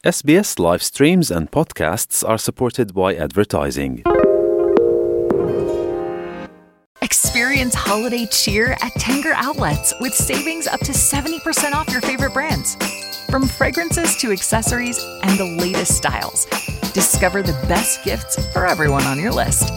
SBS live streams and podcasts are supported by advertising. Experience holiday cheer at Tanger Outlets with savings up to 70% off your favorite brands. From fragrances to accessories and the latest styles, discover the best gifts for everyone on your list.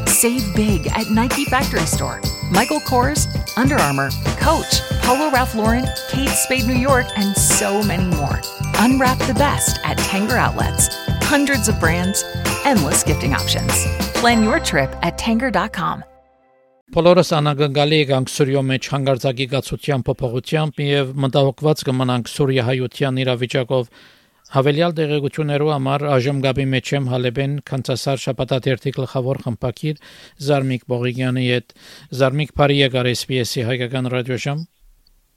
Save big at Nike Factory Store, Michael Kors, Under Armour, Coach, Polo Ralph Lauren, Kate Spade New York, and so many more. Unwrap the best at Tanger Outlets. Hundreds of brands, endless gifting options. Plan your trip at tanger.com. Բոլորս անագնգալի եղանք Սուրիո մեջ հանգարձակի գացության փոփոխությամբ եւ մտահոգված կմնանք Սուրիա-հայության իրավիճակով հավելյալ տեղեկություններով համար այժմ գաբի մեջ եմ Հալեբեն Կանցասար շաբաթաթերթի գլխավոր խմբակիր Զարմիկ Բողիկյանի հետ. Զարմիկ, բարի եկար SBS-ի հայկական ռադիոժամ։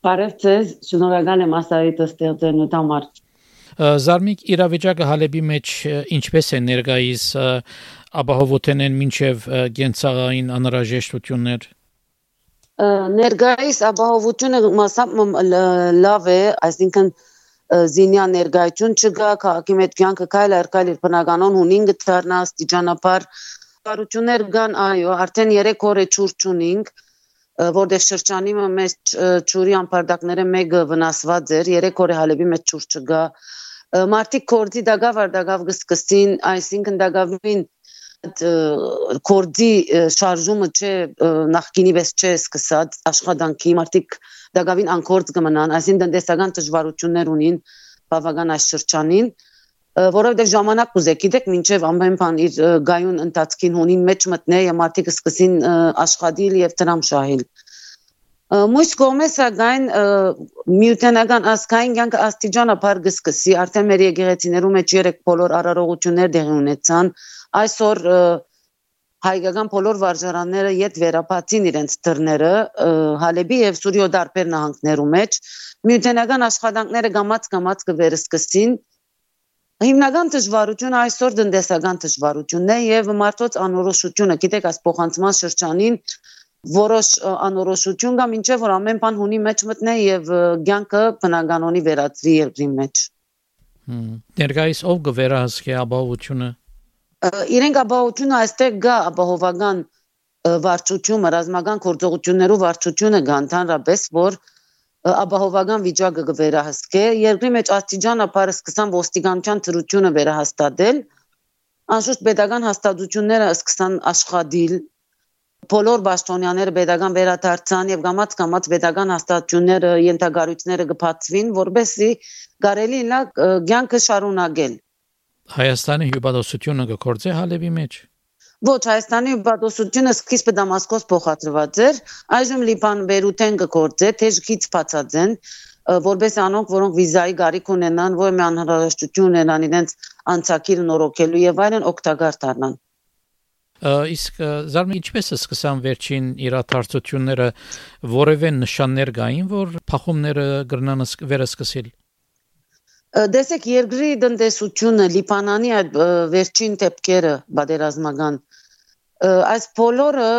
Բարև ձեզ, շնորհակալ եմ ասարիտը ստեղծելու համար։ Զարմիկ, իրավիճակը Հալեբի մեջ ինչպես է ներկայիս ապահովութենեն մինչև գենցաղային անհրաժեշտություններ։ Ներկայիս ապահովությունը մասամբ լավ է, այսինքն զինյա ներկայություն չկա, քաղաքի մեջ կյանքը քայլ առ քայլ իր բնականon հունին գտնա աստիճանաբար բարություններ կան, այո, արդեն 3 օր է ջուր չունենք, որտեղ շրջանի մեջ ջուրի ամբարտակները մեկը վնասված էր, 3 օր է Հալեբի մեջ ջուր չկա։ Մարդիկ կորձի դակավ կսկսին, այսինքն դակավին կորձի շարժումը չէ նախկինի վես չէ սկսած աշխատանքի մարդիկ դակավին անկորձ կմնան, այսինքն տնտեսական դժվարություններ ունին բավական այս շրջանին, որովհետև ժամանակ կուզե, գիտեք, մինչև ամեն բան իր գայուն ընթացքին հունին մեջ մտնե եւ մարդիկ սկսին աշխատել եւ դրամ շահել։ Մույս կողմից սակայն միութենական ազգային կյանքը աստիճանաբար կսկսի, արդեն մեր եկեղեցիներում մեջ 3 բոլոր արարողություններ տեղի ունեցան, այսօր հայկական բոլոր վարժարանները յետ վերապացին իրենց դռները Հալեբի եւ Սուրիո դարբեր նահանգներում մեջ, միութենական աշխատանքները գամած կվերսկսին, հիմնական դժվարությունը այսօր տնտեսական դժվարությունն է եւ մարդոց անորոշությունը, գիտեք, այս փոխանցման շրջանին որոշ անորոշություն կա, մինչև որ ամեն բան հունի մեջ մտնե եւ կյանքը բնականոնի վերածվի երկրի մեջ։ Ներկայիս ով կվերահսկի ապահովությունը։ Իրենք ապահովությունը այստեղ կա ապահովական վարչությունը, ռազմական գործողություններով վարչությունը կա ընդհանրապես, որ ապահովական վիճակը կվերահսկե, երկրի մեջ աստիճանաբար սկսան ոստիկանության ծրությունը վերահաստատել, անշուշտ պետական հաստատությունները սկսան աշխատել, բոլոր պաշտոնյաները պետական վերադարձան եւ գամած պետական հաստատությունները ենթագարույցները կբացվին, որովհետեւ կարելի լա կյանքը շարունակել։ Հայաստանի հյուպատոսությունը կգործե Հալեբի մեջ։ Ոչ, Հայաստանի հյուպատոսությունը սկիզբը Դամասկոս փոխադրված էր, այժմ Լիբան Բեյրութեն կգործե, թեժքից բացած են, որպես անոնք, որոնք վիզայի գարիք ունենան, որ մի անհրաժեշտություն ունենան իրենց անցակիրը նորոգելու եւ այլն օգտակար դառնան։ Իսկ Զարմի, ինչպես է սկսան վերջին իրադարձությունները, որևէ նշաններ կային, որ փախումները կգրնան վերսկսել։ Դեսեք, երկրի տնտեսությունը, Լիբանանի այդ վերջին դեպքերը պատերազմական, այս բոլորը,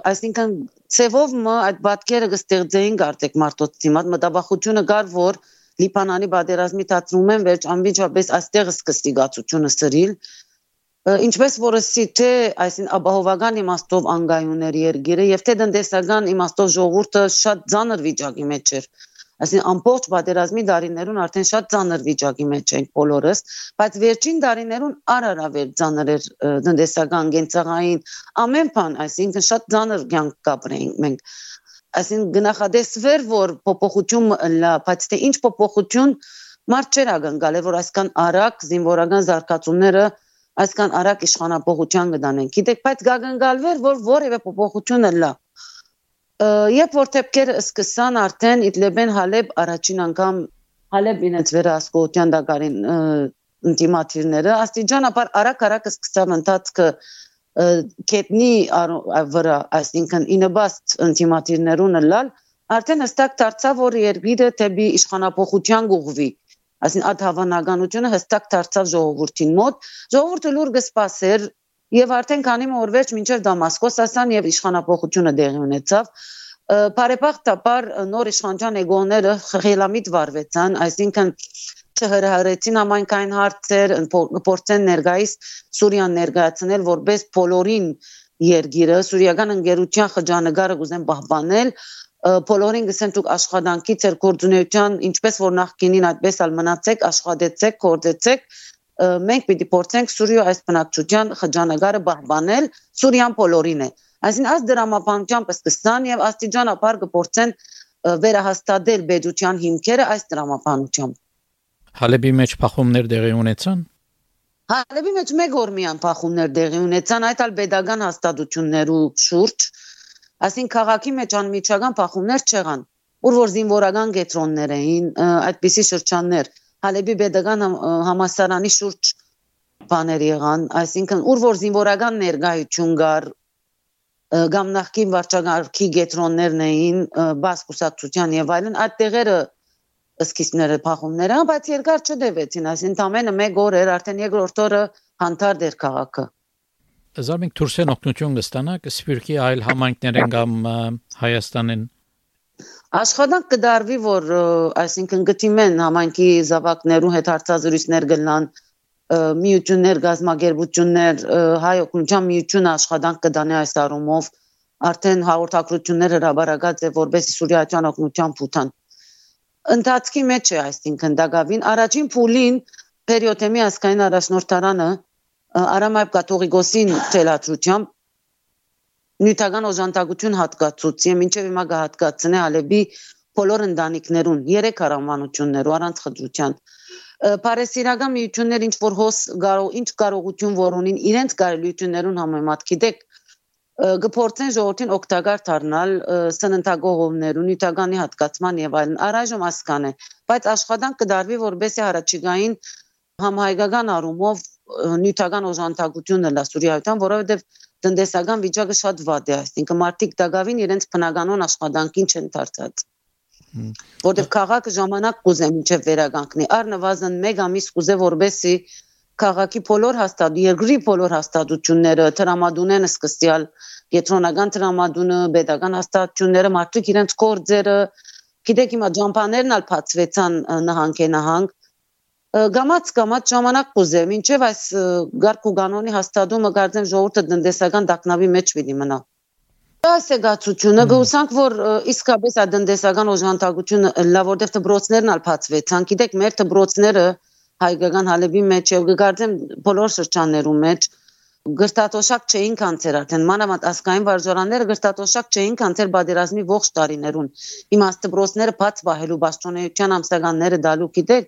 այսինքն ցևով այդ պատկերը կստեղծեին արդյոք մարդոց դիմաց, մտավախությունը կար, որ Լիբանանի պատերազմի դարձում են վերջ անմիջապես այստեղ սկսի գացությունը սրիլ, ինչպես որսի թե այսին ապահովական իմաստով անգայուններ երկիրը եւ թե տնտեսական իմաստով ժողովուրդը շատ ծանր վիճակի մեջ էր, այսին ամբողջ պատերազմի տարիներուն արդեն շատ ծանր վիճակի մեջ ենք բոլորս, բայց վերջին տարիներուն առավել ծանր էր տնտեսական կենցաղային ամեն բան, այսինքն շատ ծանր կյանք կապրեինք մենք, այսին գնահատեսվեր որ փոփոխություն լա, բայց թե ինչ փոփոխություն մարդ չէր ակնկալել, որ այսքան արագ զինվորական զարգացումները այսքան արագ իշխանապողության կդանեն, գիտեք, բայց կակնկալվեր, որ որևէ փոփոխություն լա։ Երբ որ դեպքերը սկսան արդեն Իդլիբեն Հալեբ առաջին անգամ Հալեբ ինձ վերահսկողության դակարին ինտիմատիվները, աստիճանաբար արագ սկսավ ընթացքը կետնի վրա, այսինքն ինыбաստ ինտիմատիվներուն լալ, արդեն հստակ դարձավ, որ երկիրը դեպի իշխանապողության կուղղվի։ Այսին այդ հավանականությունը հստակ դարձավ ժողովրդին մոտ, ժողովուրդը լուր կսպասեր եւ արդեն քանի օր վերջ մինչեւ Դամասկոս ասան եւ իշխանապողությունը դեղի ունեցավ, բարեբախտաբար նոր իշխանության էգոները խելամիտ վարվեցան, այսինքն չհրահրեցին համայնքային հարցեր, փորձեն ներկայիս Սուրիան ներկայացնել որպես բոլորին երկիրը, սուրիական ընկերության խճանկարը կուզեն պահպանել, բոլորին գսեն դուք աշխատանքի ձեր գործունեության ինչպես որ նախկինին այդպես էլ մնացեք, աշխատեցեք, գործեցեք, մենք պիտի փորձենք Սուրիա այս բնակչության խճանկարը պահպանել, Սուրիան բոլորին է։ Այսինքն այս դրամապանությամբ սկսան եւ աստիճանաբար կփորձեն վերահաստատել բեդության հիմքերը այս դրամապանությամբ։ Հալեբի մեջ փախումներ տեղի ունեցան։ Հալեբի մեջ մեկ օր միան փախումներ տեղի ունեցան, այդ ալ pedagogan հաստատություններու շուրջ, այսինքն քաղաքի մեջ անմիջական փախումներ չեղան, ուր որ զինվորական կետրոններ էին, այդպիսի շրջաններ, Հալեբի pedagogan համալսարանի շուրջ բաներ եղան, այսինքն ուր որ զինվորական ներկայություն կար, կամ նախկին վարչակարգի կետրոններն էին, բաց կուսակցության եւ այլն, այդ տեղերը սկիզբները փախումները, բայց երկար չդեվեցին, այսինքն ամենը մեկ օր էր, արդեն երկրորդ օրը հանդարտ էր քաղաքը։ Զարմիկ դուրսեն օգնություն կստանաք Սփյուռքի այլ համայնքներեն կամ Հայաստանեն։ Աշխատանք կդարվի, որ այսինքն գտիմեն համայնքի զավակներու հետ հարցազրույցներ գնան, միություններ, գազագերբություններ, հայ օգնության միությունը աշխատանք կդանի այս առումով, արդեն հաղորդակցություններ հրաբարակած է, որպես Սուրիական օգնության փութան։ Ընթացքի մեջ է, այսինքն դակավին առաջին փուլին Պերիոթեմի ազգային առաջնորդարանը Արամայ կաթողիկոսին թելադրությամբ նյութական օժանդակություն հատկացուց եւ մինչեւ հիմա կհատկացնե Ալեբի բոլոր ընտանիքներուն 3 հարամանություններով առանց խտրության։ Պարեսիրական միություններ ինչ որ հոս ինչ կարողություն որ ունին իրենց կարելիություններուն համեմատ գիտեք կփորձեն ժողովրդին օգտակար դառնալ սննդագողովներու նյութականի հատկացման եւ այլն առայժմ ասկան է, բայց աշխատանք կդարվի որբեսի հարաճիգային համահայկական առումով նյութական օժանդակությունը լա Սուրիայական, որովհետեւ տնտեսական վիճակը շատ վատ է, այսինքն մարդիկ դակավին իրենց բնականոն աշխատանքին չեն դարձած։ Որտեւ քաղաքը ժամանակ կուզե մինչեւ վերականգնի, առնվազն 1 ամիս կուզե որբեսի քաղաքի բոլոր երկրի բոլոր հաստատությունները տրամադունեն սկսյալ կենտրոնական տրամադունը, pedagogan հաստատությունները, մարդիկ իրենց գործերը, գիտեք հիմա ջամփաներն ալ բացվեցան նահանգ Գամած ժամանակ կուզե, մինչև այս գարկ ու կանոնի հաստատումը կարծեմ ժողովուրդը տնտեսական դակնավի մեջ պիտի մնա։ Այս է գացությունը, գուսանք, որ իսկապես այդ տնտեսական օժանդակությունը լա, որտեղ դպրոցներն ալ բացվեցան, գիտեք, մեր դպրոցները հայկական Հալեբի մեջ եւ կարծեմ բոլոր շրջաններում մեջ գրտատոշակ չէին կանցեր արդեն, մանավանդ ազգային վարժարանները գրտատոշակ չէին կանցեր պատերազմի ողջ տարիներուն։ Հիմա դպրոցները բաց պահելու պաշտոնեության ամսականները դալու գիտեք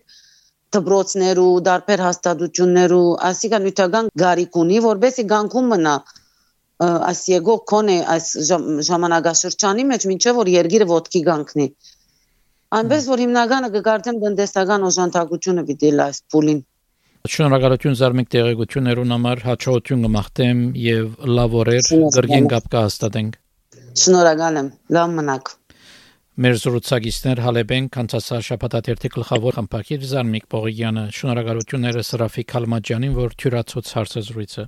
դպրոցներու, դարբեր հաստատություններու, այսինքն նյութական գարիք ունի, որբեսի գանքում մնա այս եկող կոնե այս ժամանակաշրջանի մեջ, մինչև որ երկիրը ոտքի գանքնի։ Այնպես որ հիմնականը կկարծեմ տնտեսական օժանդակությունը պիտի լա այս փուլին։ Շնորհակալություն Զարմիկ տեղեկություններուն համար, հաջողություն կմաղթեմ եւ լավ օրեր, գրգին կապ կհաստատենք։ Շնորհակալ եմ, լավ մնաք։ Մեր զրուցակիցներ Հալեբեն կանցասաշապատաթերթի գլխավոր խմբագիր Զարմիկ Պողիյանը, շնորհակալությունները Սրաֆիկ Քալմաջյանին, որ թյուրացուց հարցազրույցը։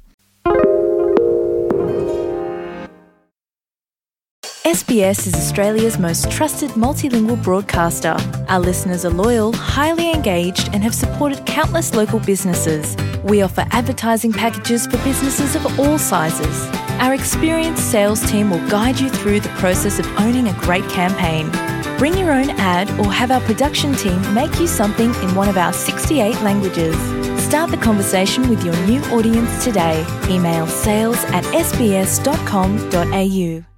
SBS is Australia's most trusted multilingual broadcaster. Our listeners are loyal, highly engaged, and have supported countless local businesses. We offer advertising packages for businesses of all sizes. Our experienced sales team will guide you through the process of owning a great campaign. Bring your own ad or have our production team make you something in one of our 68 languages. Start the conversation with your new audience today. Email sales@sbs.com.au.